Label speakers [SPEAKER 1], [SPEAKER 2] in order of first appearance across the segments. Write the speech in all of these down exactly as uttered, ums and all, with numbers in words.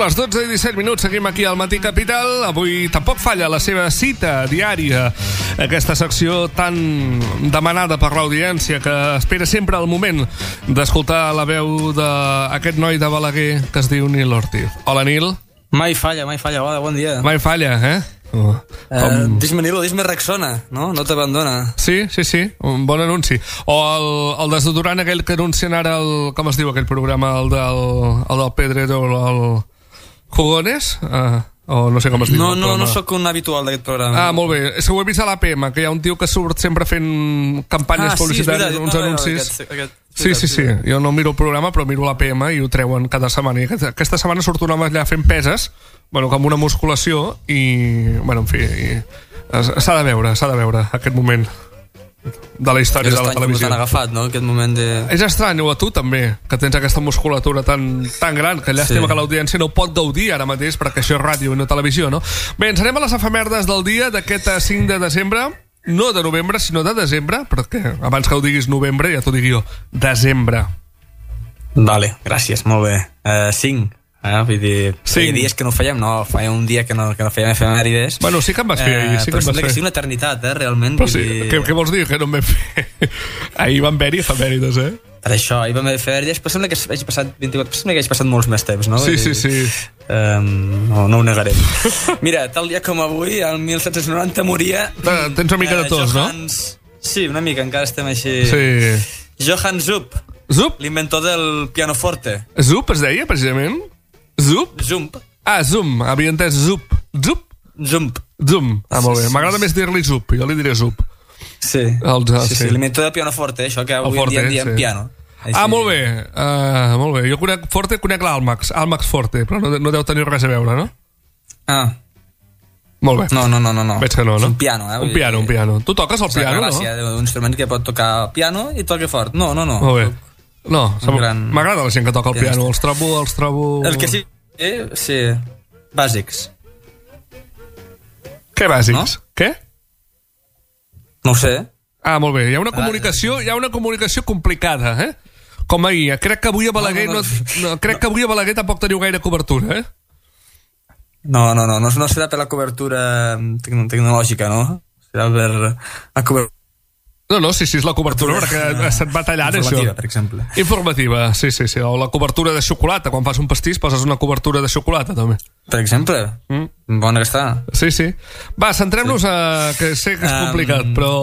[SPEAKER 1] les dotze i disset minuts, seguim aquí al Matí Capital. Avui tampoc falla la seva cita diària, aquesta secció tan demanada per l'audiència que espera sempre el moment d'escoltar la veu d'aquest noi de Balaguer que es diu Nil Ortiz. Hola, Nil.
[SPEAKER 2] Mai falla, mai falla. Hola, bon dia.
[SPEAKER 1] Mai falla, eh?
[SPEAKER 2] Oh. Uh, Dis-me Nil o dis-me Rexona, no? No t'abandona.
[SPEAKER 1] Sí, sí, sí, un bon anunci. O el, el desodorant aquell que anuncien ara el, com es diu aquell programa, el del, el del Pedrero, el Jugones? Uh, o no sé com es diu.
[SPEAKER 2] No, no, no sóc un habitual d'aquest programa.
[SPEAKER 1] Ah, molt bé. És que ho he vist a l'A P M, que hi ha un tio que surt sempre fent campanyes ah, publicitàries, sí, uns no, anuncis. Aquest, aquest, sí, sí, sí. Jo no miro el programa, però miro l'A P M i ho treuen cada setmana. I aquesta, aquesta setmana surt un home allà fent peses, bueno, com una musculació, i, bueno, en fi, s'ha de veure, s'ha de veure aquest moment de la història de la televisió.
[SPEAKER 2] És estrany com agafat, no?, aquest moment de...
[SPEAKER 1] És estrany, o a tu també, que tens aquesta musculatura tan, tan gran, que llàstima sí. que l'audiència no pot gaudir ara mateix, perquè això és ràdio i no televisió, no? Bé, ens anem a les efemèrdes del dia d'aquest cinc de desembre, no de novembre, sinó de desembre, perquè abans que ho diguis novembre, ja t'ho digui jo, desembre.
[SPEAKER 2] Vale, gràcies, molt bé. Uh, cinc. Eh, vull dir,
[SPEAKER 1] sí.
[SPEAKER 2] dies que no ho fèiem, no, feia un dia que no, que no fèiem efemèrides.
[SPEAKER 1] Bueno, sí que em vas fer ahir, sí que
[SPEAKER 2] però
[SPEAKER 1] em vas
[SPEAKER 2] sembla
[SPEAKER 1] fer.
[SPEAKER 2] que sigui una eternitat, eh, realment.
[SPEAKER 1] Però sí,
[SPEAKER 2] dir...
[SPEAKER 1] què, què vols dir? Que no em vam fer? Ahir van haver-hi efemèrides, eh?
[SPEAKER 2] Per això, ahir vam haver efemèrides, però sembla que hagi passat vint-i-quatre, sembla que hagi passat molts més temps, no?
[SPEAKER 1] Sí, sí, sí.
[SPEAKER 2] Um, no, no ho negarem. Mira, tal dia com avui, el mil set-cents noranta moria...
[SPEAKER 1] Ah, tens una mica de tos,
[SPEAKER 2] Johannes... no? Sí, una mica, encara estem així...
[SPEAKER 1] Sí.
[SPEAKER 2] Johann Zupp.
[SPEAKER 1] Zupp?
[SPEAKER 2] L'inventor del pianoforte.
[SPEAKER 1] Zupp es deia, precisament? Zupp?
[SPEAKER 2] Zump.
[SPEAKER 1] Ah, Zoom, havia entès Zupp. Zupp?
[SPEAKER 2] Zump.
[SPEAKER 1] Zoom, ah, molt bé. M'agrada més dir-li Zupp, jo li diré Zupp.
[SPEAKER 2] Sí,
[SPEAKER 1] el,
[SPEAKER 2] sí,
[SPEAKER 1] sí.
[SPEAKER 2] sí. L'inventor del pianoforte, això que avui
[SPEAKER 1] forte,
[SPEAKER 2] en dia en diem
[SPEAKER 1] sí.
[SPEAKER 2] piano. Així.
[SPEAKER 1] Ah, molt bé, uh, molt bé. Jo conec Forte, conec l'Almax, Almax Forte, però no, no deu tenir res a veure, no?
[SPEAKER 2] Ah.
[SPEAKER 1] Molt bé.
[SPEAKER 2] No, no, no, no.
[SPEAKER 1] Veig que no, no?
[SPEAKER 2] És un piano, eh?
[SPEAKER 1] Un piano, un piano. Tu toques el piano,
[SPEAKER 2] gràcia,
[SPEAKER 1] no?
[SPEAKER 2] Un instrument que pot tocar piano i toca fort. No, no, no.
[SPEAKER 1] Molt bé. No,
[SPEAKER 2] gran...
[SPEAKER 1] m'agrada la gent que toca el piano, els trobo, els trobo...
[SPEAKER 2] El que sí, eh, sí, bàsics.
[SPEAKER 1] Què bàsics?
[SPEAKER 2] No?
[SPEAKER 1] Què?
[SPEAKER 2] No ho sé.
[SPEAKER 1] Ah, molt bé. Hi ha una comunicació, hi ha una comunicació complicada, eh? Com ahir. Crec que avui a Balaguer no, no, no, no crec que avui a Balaguer tampoc teniu gaire cobertura, eh?
[SPEAKER 2] No, no, no, no, no serà per la cobertura tecnològica, no? Serà per la cobertura.
[SPEAKER 1] No, no, sí, sí, és la cobertura, perquè se't va tallant això.
[SPEAKER 2] Informativa, per exemple.
[SPEAKER 1] Informativa, sí, sí, sí. O la cobertura de xocolata. Quan fas un pastís poses una cobertura de xocolata, també.
[SPEAKER 2] Per exemple. Mm. Bona que està.
[SPEAKER 1] Sí, sí. Va, centrem-nos sí. a... que sé que és complicat, um... però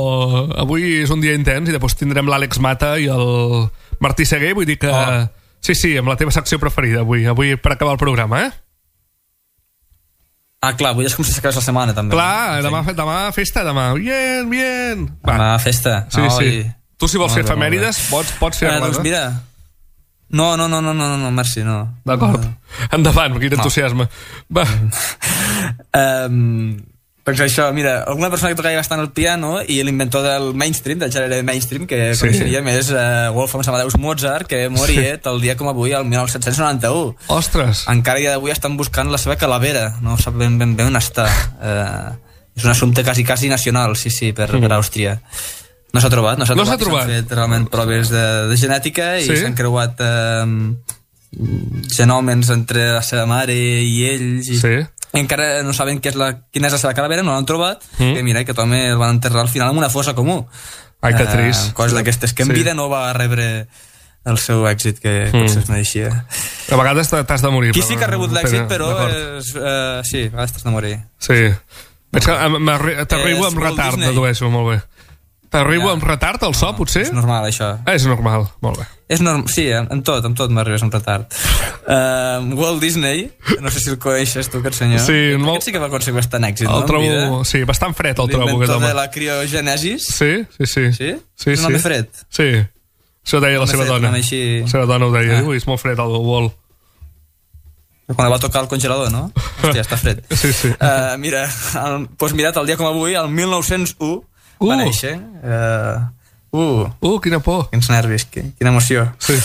[SPEAKER 1] avui és un dia intens i després tindrem l'Àlex Mata i el Martí Seguer, vull dir que... Oh. Sí, sí, amb la teva secció preferida avui, avui per acabar el programa, eh?
[SPEAKER 2] Ah, clar, avui és com si s'acabés la setmana, també.
[SPEAKER 1] Clar, demà, demà festa, demà. Bien, bien. Va.
[SPEAKER 2] Demà festa.
[SPEAKER 1] Sí, oh, sí. I... Tu, si vols fer efemèrides, pots, pots fer-les.
[SPEAKER 2] Eh, doncs mira... No, no, no, no, no, no, merci, no.
[SPEAKER 1] D'acord. No. Endavant, quin entusiasme. Va.
[SPEAKER 2] um, doncs això, mira, alguna persona que tocava bastant el piano i l'inventor del mainstream, del gènere mainstream, que sí. coneixeria més uh, Wolfgang Amadeus Mozart, que moria sí. tal dia com avui, el mil set-cents noranta-u.
[SPEAKER 1] Ostres!
[SPEAKER 2] Encara dia d'avui estan buscant la seva calavera, no sap ben ben, ben on està. Uh, és un assumpte quasi, quasi nacional, sí, sí, per, mm. per Àustria. No s'ha trobat, no s'ha
[SPEAKER 1] no
[SPEAKER 2] trobat.
[SPEAKER 1] trobat.
[SPEAKER 2] S'han fet realment proves de, de genètica i s'han sí. creuat uh, genòmens entre la seva mare i ells. I...
[SPEAKER 1] Sí.
[SPEAKER 2] encara no saben què és la, quina és la seva calavera, no l'han trobat, mm. i mira, aquest home el van enterrar al final en una fossa comú.
[SPEAKER 1] Ai, que trist.
[SPEAKER 2] Uh, coses d'aquestes que en sí. vida no va rebre el seu èxit que mm. potser es mereixia.
[SPEAKER 1] A vegades t'has de morir.
[SPEAKER 2] Qui sí que ha rebut l'èxit, però és, uh, sí, a vegades t'has de morir.
[SPEAKER 1] Sí. Veig que t'arribo amb retard, dedueixo, molt bé. T'arribo ja. amb retard al so, no, potser?
[SPEAKER 2] És normal, això.
[SPEAKER 1] Ah, és normal, molt bé.
[SPEAKER 2] És norm... Sí, en tot, en tot m'arribes amb retard. Uh, Walt Disney, no sé si el coneixes tu, aquest senyor.
[SPEAKER 1] Sí,
[SPEAKER 2] aquest
[SPEAKER 1] molt...
[SPEAKER 2] sí que va aconseguir bastant èxit,
[SPEAKER 1] el
[SPEAKER 2] no?
[SPEAKER 1] Trobo... Sí, bastant fred el trobo.
[SPEAKER 2] L'inventor de la criogènesis.
[SPEAKER 1] Sí, sí, sí.
[SPEAKER 2] Sí?
[SPEAKER 1] Sí,
[SPEAKER 2] és un home
[SPEAKER 1] sí.
[SPEAKER 2] fred.
[SPEAKER 1] Sí, això deia la seva
[SPEAKER 2] fred,
[SPEAKER 1] dona.
[SPEAKER 2] Així...
[SPEAKER 1] La seva dona ho deia, ah. Ui, és molt fred el Walt.
[SPEAKER 2] Quan el va tocar el congelador, no? Hòstia, està fred.
[SPEAKER 1] Sí, sí.
[SPEAKER 2] Uh, mira, el, doncs mira, el dia com avui, el mil nou-cents u, uh. va néixer. Uh, uh,
[SPEAKER 1] uh, quina por.
[SPEAKER 2] Quins nervis, quina emoció.
[SPEAKER 1] Sí.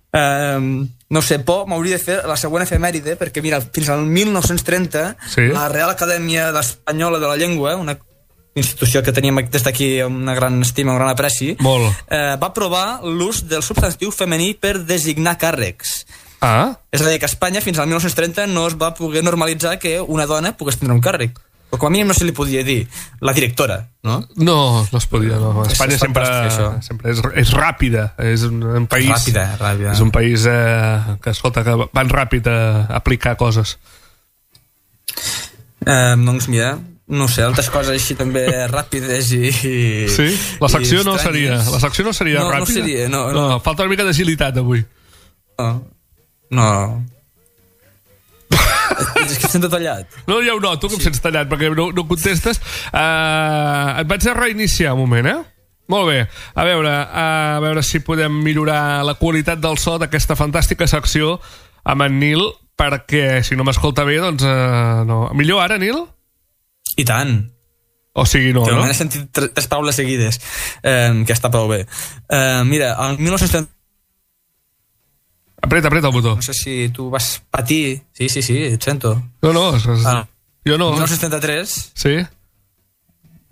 [SPEAKER 2] Uh, no sé, por, m'hauria de fer la següent efemèride, perquè mira, fins al mil nou-cents trenta, sí. la Real Acadèmia Espanyola de la Llengua, una institució que teníem des d'aquí una gran estima, un gran apreci,
[SPEAKER 1] Molt.
[SPEAKER 2] Uh, va aprovar l'ús del substantiu femení per designar càrrecs.
[SPEAKER 1] Ah.
[SPEAKER 2] És a dir, que a Espanya fins al mil nou-cents trenta no es va poder normalitzar que una dona pogués tindre un càrrec. Però com a mínim no se li podia dir la directora, no?
[SPEAKER 1] No, no es podia, no. Espanya sempre, sempre és, és ràpida. És un, un país...
[SPEAKER 2] Ràpida, ràpida.
[SPEAKER 1] És un país eh, que, escolta, que van ràpid a aplicar coses.
[SPEAKER 2] Eh, doncs mira, no sé, altres coses així també ràpides i...
[SPEAKER 1] Sí? La secció no seria, la secció no seria
[SPEAKER 2] no,
[SPEAKER 1] ràpida?
[SPEAKER 2] No seria, no, no.
[SPEAKER 1] No, falta una mica d'agilitat avui.
[SPEAKER 2] No, no. És que sento tallat.
[SPEAKER 1] No, ja ho noto, com sí. Sents tallat, perquè no, no contestes. Uh, et vaig a reiniciar un moment, eh? Molt bé. A veure, a veure si podem millorar la qualitat del so d'aquesta fantàstica secció amb en Nil, perquè si no m'escolta bé, doncs uh, no. Millor ara, Nil?
[SPEAKER 2] I tant.
[SPEAKER 1] O sigui, no,
[SPEAKER 2] no?
[SPEAKER 1] no?
[SPEAKER 2] He sentit tres paraules seguides, eh, que està prou bé. Eh, mira, el mil nou-cents trenta...
[SPEAKER 1] Apreta, apreta el botó.
[SPEAKER 2] No sé si tu vas patir... Sí, sí, sí, et sento.
[SPEAKER 1] No, no, es... ah. jo no.
[SPEAKER 2] El mil nou-cents trenta-tres...
[SPEAKER 1] Sí?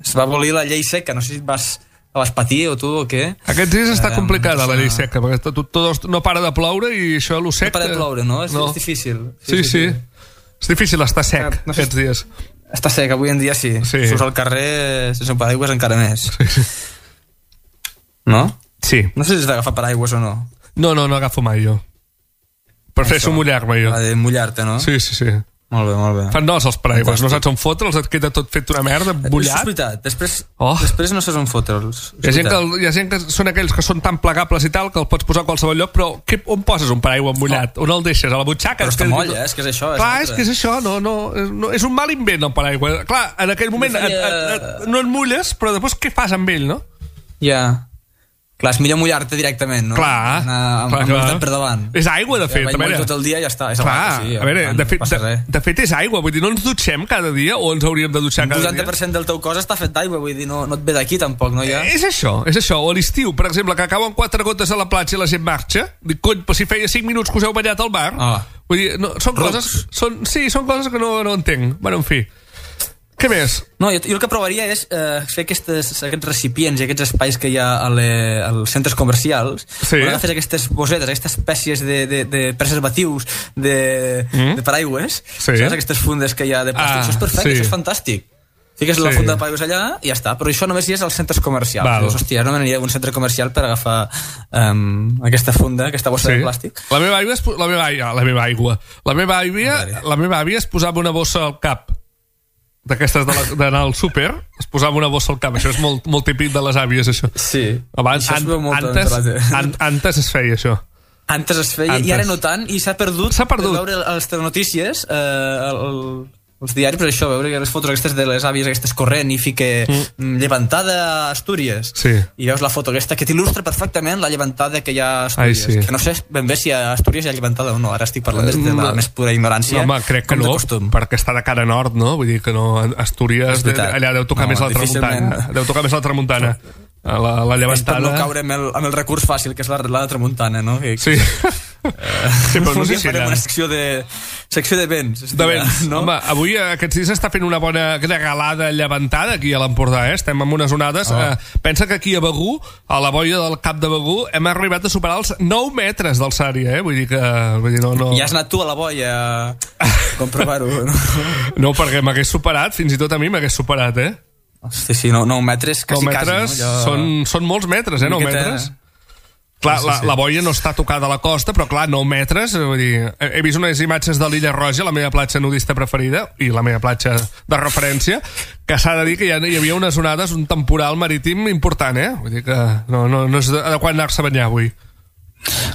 [SPEAKER 2] Es va abolir la llei seca, no sé si vas... La vas patir o tu o què?
[SPEAKER 1] Aquests dies està um, complicada la llei seca, perquè tot, tot no para de ploure i això, lo sec...
[SPEAKER 2] No para de ploure, no? És, no. és difícil.
[SPEAKER 1] Sí, sí, sí, sí. És difícil estar sec no sé, aquests dies.
[SPEAKER 2] Està sec, avui en dia sí. sí. Surts al carrer sense un paraigües encara més.
[SPEAKER 1] Sí.
[SPEAKER 2] No?
[SPEAKER 1] Sí.
[SPEAKER 2] No sé si has d'agafar paraigües o no.
[SPEAKER 1] No, no, no agafo mai jo. Prefereixo mullar-me jo.
[SPEAKER 2] Ha de mullar-te, no?
[SPEAKER 1] Sí, sí, sí.
[SPEAKER 2] Molt bé, molt bé.
[SPEAKER 1] Fan nos els paraigües, no saps on fotre'ls, et queda tot fet una merda, mullat.
[SPEAKER 2] És veritat, després, oh. després no saps on fotre'ls.
[SPEAKER 1] Hi ha, gent que, hi ha gent que són aquells que són tan plegables i tal que el pots posar a qualsevol lloc, però que, on poses un paraigua mullat? Oh. On el deixes? A la butxaca?
[SPEAKER 2] Però és que molla, és que és això.
[SPEAKER 1] Clar, és, és que és això, no, no, no, és un mal invent el paraigua. Clar, en aquell moment no, feia... et, et, et, no et mulles, però després què fas amb ell, no?
[SPEAKER 2] Ja... Yeah. Clar, és millor mullar-te directament, no?
[SPEAKER 1] Clar,
[SPEAKER 2] Anar amb,
[SPEAKER 1] clar,
[SPEAKER 2] amb
[SPEAKER 1] clar.
[SPEAKER 2] per davant.
[SPEAKER 1] És aigua, de fet.
[SPEAKER 2] Ja, vaig tot el dia i ja està. És
[SPEAKER 1] clar,
[SPEAKER 2] aigua, sí,
[SPEAKER 1] a veure,
[SPEAKER 2] tant,
[SPEAKER 1] de, fet,
[SPEAKER 2] no
[SPEAKER 1] de, de fet és aigua, vull dir, no ens dutxem cada dia o ens hauríem de dutxar cada dia?
[SPEAKER 2] Un vuitanta per cent del teu cos està fet d'aigua, vull dir, no, no et ve d'aquí tampoc, no hi ha?
[SPEAKER 1] És això, és això. O a l'estiu, per exemple, que cauen quatre gotes a la platja i la gent marxa, dic, cony, però si feia cinc minuts que us heu ballat al bar,
[SPEAKER 2] ah.
[SPEAKER 1] vull dir, no, són Rups. coses... Són, sí, són coses que no, no entenc. Bueno, en fi. Què més?
[SPEAKER 2] No, jo, jo el que provaria és eh, fer aquestes, aquests recipients i aquests espais que hi ha a le, als centres comercials,
[SPEAKER 1] sí.
[SPEAKER 2] on agafes aquestes bosetes, aquestes espècies de, de, de preservatius de, mm. de paraigües,
[SPEAKER 1] sí.
[SPEAKER 2] saps? Aquestes fundes que hi ha de plàstic, ah, això és perfecte, sí. Això és fantàstic. Fiques sí. la funda de paraigües allà i ja està, però això només hi és als centres comercials. Dius, hòstia, no m'aniria a un centre comercial per agafar um, aquesta funda, aquesta bossa sí. de plàstic.
[SPEAKER 1] La meva aigua, es, la meva, la meva aigua, la meva àvia, la meva àvia es posava una bossa al cap d'aquestes d'anar al súper, es posava una bossa al cap. Això és molt, molt típic de les àvies, això.
[SPEAKER 2] Sí,
[SPEAKER 1] abans,
[SPEAKER 2] això es veu molt
[SPEAKER 1] antes, an, antes es feia això.
[SPEAKER 2] Antes es feia, antes. I ara no tant, i s'ha perdut,
[SPEAKER 1] s'ha perdut.
[SPEAKER 2] De veure les telenotícies, eh, el, el, els diaris, per això, veure les fotos aquestes de les àvies, aquestes corrent, i fique mm. llevantada a Astúries.
[SPEAKER 1] Sí.
[SPEAKER 2] I veus la foto aquesta que t'il·lustra perfectament la llevantada que hi ha a Astúries.
[SPEAKER 1] Ai, sí.
[SPEAKER 2] Que no sé ben bé si a Astúries hi ha llevantada o no, ara estic parlant des de la més pura ignorància.
[SPEAKER 1] No, home, crec que no, perquè està de cara nord, no? Vull dir que no, Astúries, de, allà deu tocar no, més la tramuntana. Deu tocar més la tramuntana. La, la llevantada...
[SPEAKER 2] És per no caure amb el, amb el recurs fàcil, que és la, la tramuntana, no? I,
[SPEAKER 1] sí. Uh, sí, però no sé si
[SPEAKER 2] farem una secció de, secció de vents.
[SPEAKER 1] De vents, no? Home, avui aquests dies està fent una bona regalada llevantada aquí a l'Empordà, eh? Estem amb unes onades. Oh. Uh, pensa que aquí a Begur, a la boia del Cap de Begur, hem arribat a superar els nou metres d'alçària, eh? Vull dir que... Vull dir, no, no...
[SPEAKER 2] Ja has anat tu a la boia a comprovar-ho, no?
[SPEAKER 1] No, perquè m'hagués superat, fins i tot a mi m'hagués superat, eh?
[SPEAKER 2] Sí, sí, nou, nou metres, quasi,
[SPEAKER 1] nou metres,
[SPEAKER 2] quasi, no? Jo...
[SPEAKER 1] Són, són molts metres, eh, nou metres. Clar, sí, sí, la, sí. la boia no està tocada a la costa, però clar, nou metres, vull dir, he, he vist unes imatges de l'Illa Roja, la meva platja nudista preferida, i la meva platja de referència, que s'ha de dir que ja hi havia unes onades, un temporal marítim important, eh? Vull dir que no, no, no és adequat anar-se a banyar avui.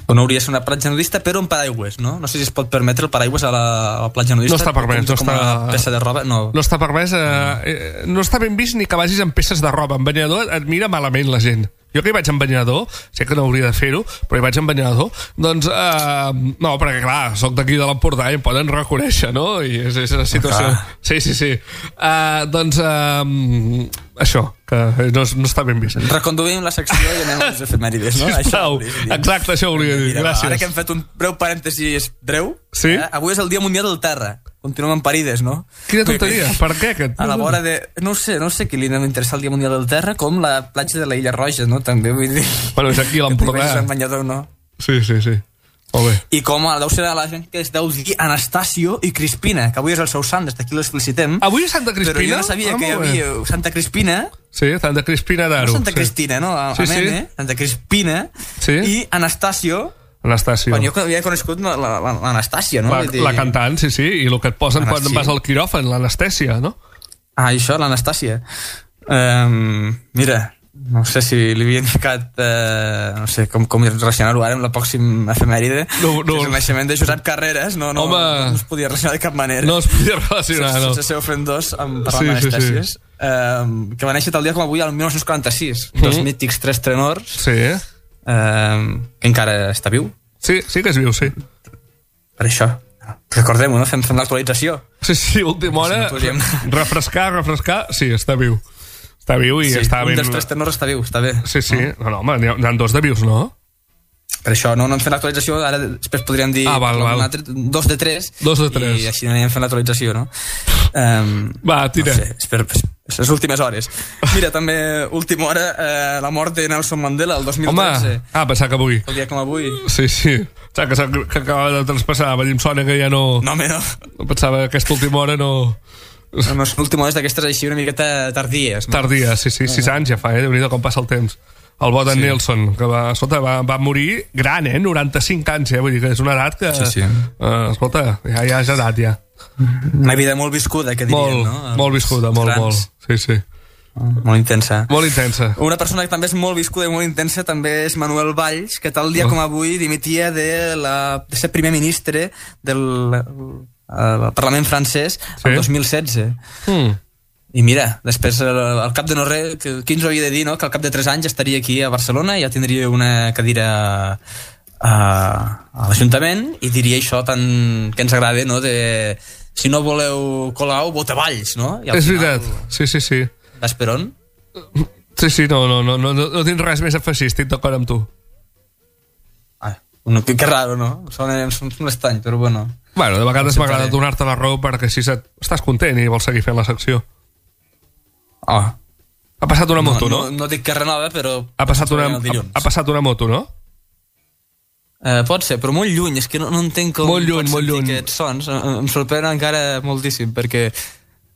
[SPEAKER 2] No hauria de ser una platja nudista, però un paraigües, no? No sé si es pot permetre el paraigües a la, a la platja nudista.
[SPEAKER 1] No està permès, no està...
[SPEAKER 2] Una peça de roba, no.
[SPEAKER 1] No està permès, eh, no està ben vist ni que vagis amb peces de roba. En banyador et mira malament la gent. Jo que hi vaig amb banyador, sé que no hauria de fer-ho, però hi vaig amb banyador, doncs, eh, no, perquè clar, soc d'aquí de l'Empordà i em poden reconèixer, no? I és, és la situació... Ah. Sí, sí, sí. Uh, doncs, uh, això, que no, no està ben vist.
[SPEAKER 2] Reconduïm la secció i anem a les efemèrides, no?
[SPEAKER 1] Sisplau, això exacte, això volia dir.
[SPEAKER 2] Mira,
[SPEAKER 1] gràcies.
[SPEAKER 2] Ara que hem fet un breu parèntesis breu,
[SPEAKER 1] sí?
[SPEAKER 2] eh, avui és el Dia Mundial del Terra. Continuem amb parides, no?
[SPEAKER 1] Quina tonteria, per què? Aquest?
[SPEAKER 2] A la vora de... No sé, no sé qui li anem a interessar el Dia Mundial del Terra, com la platja de la Illa Roja, no? També, vull dir...
[SPEAKER 1] Bueno, és aquí a l'Empordà.
[SPEAKER 2] Que banyador, no?
[SPEAKER 1] Sí, sí, sí.
[SPEAKER 2] I com deu ser la gent que es deu dir Anastasio i Crispina, que avui és el seu sant, des d'aquí les felicitem.
[SPEAKER 1] Avui és Santa Crispina?
[SPEAKER 2] Però jo no sabia ah, que hi havia Santa Crispina.
[SPEAKER 1] Sí, Santa Crispina d'Aro.
[SPEAKER 2] No Santa sí. Cristina, no? A, sí, a Mene, sí. Santa Crispina sí. I Anastasio.
[SPEAKER 1] Anastasio.
[SPEAKER 2] Quan jo havia conegut l'Anastàcia, no?
[SPEAKER 1] La, la cantant, sí, sí, i el que et posen quan vas al quiròfan, l'anestèsia, no?
[SPEAKER 2] Ah, això, l'Anastàcia. Um, mira, no sé si li havien ficat eh, no sé com, com relacionar-ho ara amb la pròxima efemèride,
[SPEAKER 1] no, no.
[SPEAKER 2] Que és el naixement de Josep Carreras. No, no, no, no es podia relacionar de cap manera,
[SPEAKER 1] no es podia relacionar
[SPEAKER 2] sense,
[SPEAKER 1] no.
[SPEAKER 2] sense ser ofendós amb parlar sí, d'anestèsies sí, sí. Um, que va néixer tal dia com avui el dinou quaranta-sis mm. dels mítics tres tenors
[SPEAKER 1] sí.
[SPEAKER 2] um, que encara està viu.
[SPEAKER 1] Sí, sí que és viu, sí.
[SPEAKER 2] Per això recordem-ho, no? Fem, fem l'actualització.
[SPEAKER 1] Sí, sí, última hora, si no refrescar, refrescar, sí, està viu. Està viu i
[SPEAKER 2] sí,
[SPEAKER 1] està ben...
[SPEAKER 2] un dels tres tenors està viu, està bé.
[SPEAKER 1] Sí, sí, no, no, home, n'hi ha, ha dos de vius, no?
[SPEAKER 2] Per això, no, no hem fet l'actualització, ara després podríem dir
[SPEAKER 1] ah, val, val.
[SPEAKER 2] Altre, dos de tres.
[SPEAKER 1] Dos de tres.
[SPEAKER 2] I així anirem fent l'actualització, no? Um,
[SPEAKER 1] Va, tira.
[SPEAKER 2] No sé, espero, les últimes hores. Mira, també, última hora, eh, la mort de Nelson Mandela, el dos mil tretze.
[SPEAKER 1] Home, ah, pensava que avui.
[SPEAKER 2] El dia com avui.
[SPEAKER 1] Sí, sí. Pensava que, que acaba de traspassar, va dir, em sona que ja no...
[SPEAKER 2] No, home, no.
[SPEAKER 1] Pensava que aquesta última hora no...
[SPEAKER 2] No, no, l'última hora d'aquestes així una miqueta tardies. No?
[SPEAKER 1] Tardies, sí, sí, sis uh -huh. anys ja fa, eh? Déu-n'hi-do com passa el temps. El bo d'en sí. Nelson, que va, escolta, va, va morir gran, eh? noranta-cinc anys, eh? Vull dir que és una edat que...
[SPEAKER 2] Sí, sí.
[SPEAKER 1] Uh, escolta, ja, ja és edat, ja.
[SPEAKER 2] Una vida molt viscuda, que diríem,
[SPEAKER 1] molt,
[SPEAKER 2] no?
[SPEAKER 1] Molt viscuda, molt, grans. molt. Sí, sí.
[SPEAKER 2] Molt intensa.
[SPEAKER 1] Molt intensa.
[SPEAKER 2] Una persona que també és molt viscuda i molt intensa també és Manuel Valls, que tal dia oh. com avui dimitia de, la, de ser primer ministre del... al Parlament francès sí. el dos mil setze
[SPEAKER 1] mm.
[SPEAKER 2] i mira, després al cap de no res qui ens ho havia de dir, no? Que al cap de tres anys estaria aquí a Barcelona i ja tindria una cadira a, a l'Ajuntament i diria això tan que ens agrada, no? De si no voleu Colau, vota Valls, no? I
[SPEAKER 1] és final, veritat, sí, sí, sí.
[SPEAKER 2] Vas per on?
[SPEAKER 1] Sí, sí, no, no, no, no, no tinc res més a afegir, estic d'acord amb tu.
[SPEAKER 2] Ah, no, que, que raro, no? Sona un estany, però bueno.
[SPEAKER 1] Bueno, de vegades no m'agrada donar-te la raó perquè així estàs content i vols seguir fent la secció.
[SPEAKER 2] Oh.
[SPEAKER 1] Ha passat una moto, no?
[SPEAKER 2] No, no, no dic que renova, però...
[SPEAKER 1] Ha passat una, ha, ha passat una moto, no?
[SPEAKER 2] Uh, pot ser, però molt lluny. És que no, no entenc com
[SPEAKER 1] molt lluny,
[SPEAKER 2] pots
[SPEAKER 1] molt
[SPEAKER 2] sentir
[SPEAKER 1] lluny.
[SPEAKER 2] aquests sons. Em sorprèn encara moltíssim, perquè a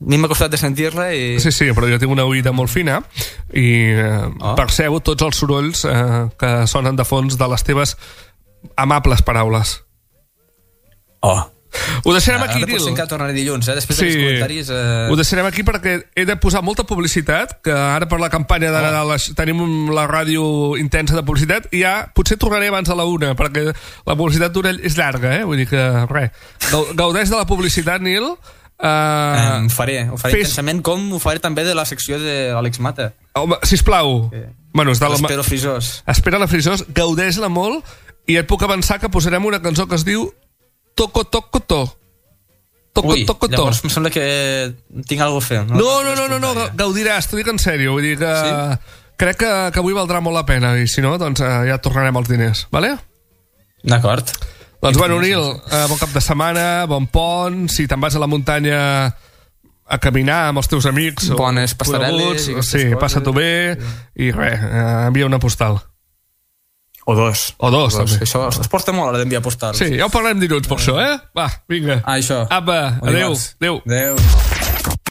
[SPEAKER 2] mi m'ha costat de sentir-la i...
[SPEAKER 1] Sí, sí, però jo tinc una oïda molt fina i eh, oh. percebo tots els sorolls eh, que sonen de fons de les teves amables paraules.
[SPEAKER 2] Oh.
[SPEAKER 1] Ho deixarem aquí,
[SPEAKER 2] Nil. Ara potser encara tornaré dilluns, eh? Després sí. dels comentaris... Eh...
[SPEAKER 1] Ho deixarem aquí perquè he de posar molta publicitat, que ara per la campanya de Nadal oh. tenim la ràdio intensa de publicitat, i ja potser tornaré abans a la una, perquè la publicitat d'Orell és llarga, eh? Vull dir que, res, gaudeix de la publicitat, Nil. Uh,
[SPEAKER 2] eh, ho faré, ho faré fes... intensament, com ho faré també de la secció de l'Àlex Mata.
[SPEAKER 1] Home, sisplau.
[SPEAKER 2] Okay.
[SPEAKER 1] Bueno, és de la...
[SPEAKER 2] Espero Frisós.
[SPEAKER 1] Espera la Frisós, gaudeix-la molt, i et puc avançar que posarem una cançó que es diu Toco, toco, to. Toco,
[SPEAKER 2] Ui,
[SPEAKER 1] toco, to.
[SPEAKER 2] Llavors em sembla que tinc alguna cosa a fer.
[SPEAKER 1] No, no, no, no, no, no, gaudiràs, t'ho dic en sèrio. Vull dir que sí? crec que, que avui valdrà molt la pena, i si no, doncs ja tornarem als diners, vale?
[SPEAKER 2] D'acord.
[SPEAKER 1] Doncs bueno, Nil, eh, bon cap de setmana, bon pont, si te'n vas a la muntanya a caminar amb els teus amics
[SPEAKER 2] bones passarel·les,
[SPEAKER 1] sí, passa-t'ho bé sí. I res, eh, envia una postal.
[SPEAKER 2] O dos.
[SPEAKER 1] O dos,
[SPEAKER 2] o dos. Això es porta molt a l'hora d'enviar postals.
[SPEAKER 1] Sí, ja ho parlem dilluns per eh. això, eh? Va, vinga.
[SPEAKER 2] Ah, això.
[SPEAKER 1] Apa, adéu. Adéu.
[SPEAKER 2] Adéu.